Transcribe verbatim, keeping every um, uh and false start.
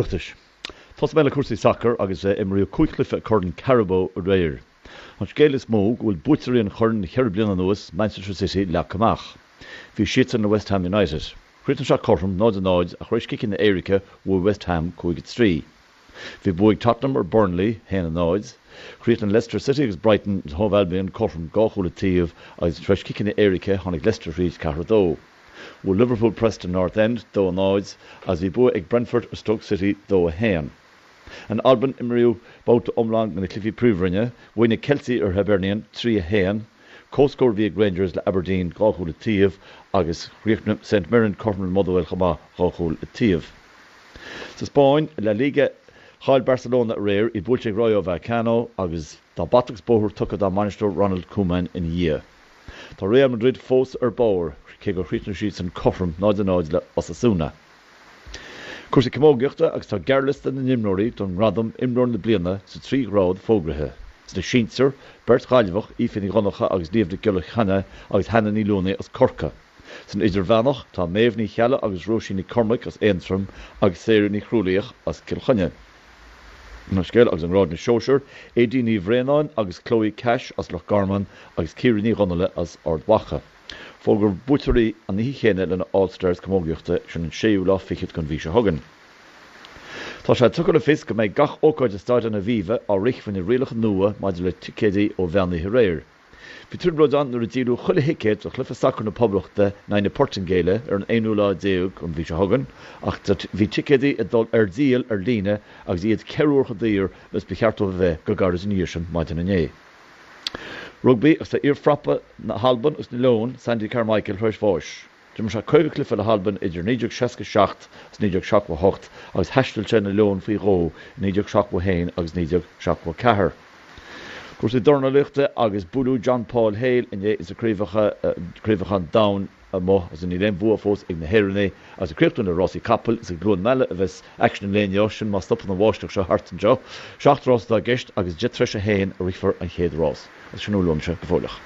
Oireachtais. Tosóidh mé le cúrsaí sacair agus imríodh cúig chluiche Corn Carabao aréir. An scéal is mó go bhfuil buaiteoirí an choirn le ceithre bliana anuas, Manchester City, leagtha amach. Bhí siadsan le West Ham United. Chríochnaigh sé cothrom náid a náid ach tar éis ciceanna éirice bhuaigh West Ham cúig a trí. Bhí bua ag Tottenham ar Burnley, haon a náid. Chríochnaigh Leicester City agus Brighton and Hove Albion cothrom dhá chúl an taobh agus tar éis ciceanna éirice tháinig Leicester thríd ceathair a dó. Bhuail Liverpool Preston North End dó a náid agus bhí bua ag Brentford ar Stoke City dó a haon. In Albain imríodh babhta iomlán de na cluichí príomhroinne, bhuaigh na Ceiltigh ar Hibernian trí a haon, comhscór a bhí ag Rangers le Aberdeen dhá chúl an taobh agus chríochnaigh St Mirren cothrom le Motherwell chomh maith dhá chúl an taobh. Sa Spáinn, La Liga, chaill Barcelona aréir, iad buailte ag Rayo Vallecano agus tá bata agus bóthar tugtha dá mbainisteoir Ronald Koeman ina dhiaidh. Tá Real Madrid fós ar barr, cé gur chríochnaigh siadsan cothrom náid a náid le Osasuna. Cúrsaí camógaíochta agus tá gearrliosta na n-imreoirí don ngradam Imreoir na Bliana sa trí ghrád fógraithe. Sna sinsir, beirt Ghaillimheach, Aoife Ní Dhonncha agus Niamh Nic Giolla Chainnigh agus Hannah Ní Luanaigh as Corcaigh. San idirmheánach, tá Méabh Ní Cheallaigh agus Róisín Nic Cormaic as Aontroim agus Sarah Ní Chrualaoich as Cill Chainnigh. An scéal agus i ngrád na sóisear, Aedín Ní Bhraonáin agus Chloe Cash as Loch Garman agus Ciara Ní Dhonnaile as Ard Mhacha. Fógrófar buaiteoirí an oíche chéanna le na All Stars camógaíochta, sin an séú lá fichead den mhí seo chugainn. Tá sé tugtha le fios go mbeidh gach ócáid i Staid an Aviva á rith faoi na rialacha nua maidir le ticéidí ó mheán oíche aréir. Bhí trioblóid ann nuair a díoladh chuile thicéad do chluiche sacair na Poblachta in aghaidh na Portaingéile ar an aonú lá déag den mhí seo chugainn ach bhí ticéidí ag dul ar díol ar líne agus iad ceithre huaire chomh daor is ba cheart dóibh a bheith go gairid ina dhiaidh sin maidin inné. Rugbaí agus tá iar-phrapa na hAlban agus na Leon, Sandy Carmichael, tar éis bháis. D'imir sé caoga cluiche le hAlbain idir naoi déag seasca seacht agus naoi déag seachtó a hocht agus thaistil sé na Leoin faoi dhó i naoi déag seachtó a haon agus naoi déag seachtó a ceathair. Cúrsaí dornálaíochta agus buaileadh John Paul Hale inné ins na craobhacha craobhacha an domhain amuigh agus níl aon bhua fós ag na hÉireannaigh agus ag críochnú le rásaí capaill is i gCluain Meala a bheas aicsean an lae inniu, sin má stopann an bháisteach seo thart anseo. Seacht rás atá i gceist agus deich tar éis a haon a rithfear an chéad rás. Agus sin a bhfuil uaimse go fóilleach.